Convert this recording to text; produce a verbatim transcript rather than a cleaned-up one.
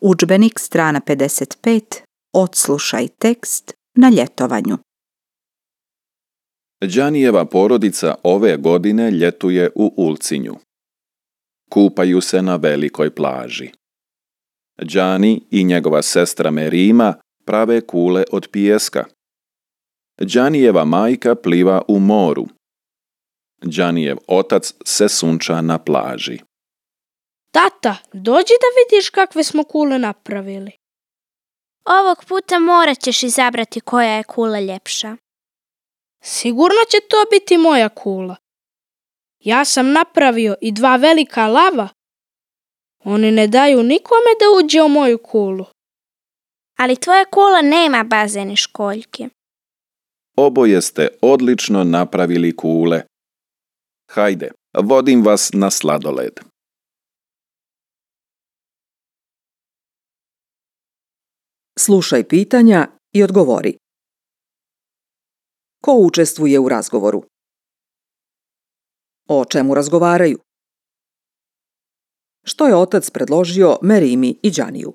Udžbenik strana pedeset pet. Odslušaj tekst na ljetovanju. Đanijeva porodica ove godine ljetuje u Ulcinju. Kupaju se na velikoj plaži. Đani i njegova sestra Merima prave kule od pijeska. Đanijeva majka pliva u moru. Đanijev otac se sunča na plaži. Tata, dođi da vidiš kakve smo kule napravili. Ovog puta morat ćeš izabrati koja je kula ljepša. Sigurno će to biti moja kula. Ja sam napravio i dva velika lava. Oni ne daju nikome da uđe u moju kulu. Ali tvoja kula nema bazen i školjke. Oboje ste odlično napravili kule. Hajde, vodim vas na sladoled. Slušaj pitanja i odgovori. Ko učestvuje u razgovoru? O čemu razgovaraju? Što je otac predložio Merimi i Đaniju?